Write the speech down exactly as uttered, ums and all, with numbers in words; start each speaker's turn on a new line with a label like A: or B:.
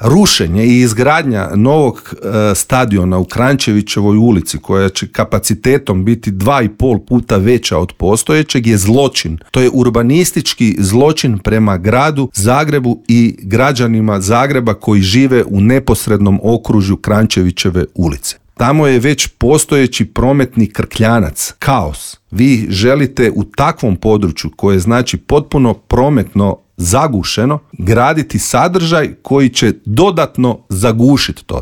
A: rušenje i izgradnja novog e, stadiona u Kranjčevićevoj ulici, koja će kapacitetom biti dva i pol puta veća od postojećeg, je zločin. To je urbanistički zločin prema gradu Zagrebu i građanima Zagreba koji žive u neposrednom okružju Kranjčevićeve ulice. Tamo je već postojeći prometni krkljanac, kaos. Vi želite u takvom području, koje znači potpuno prometno zagušeno, graditi sadržaj koji će dodatno zagušiti to.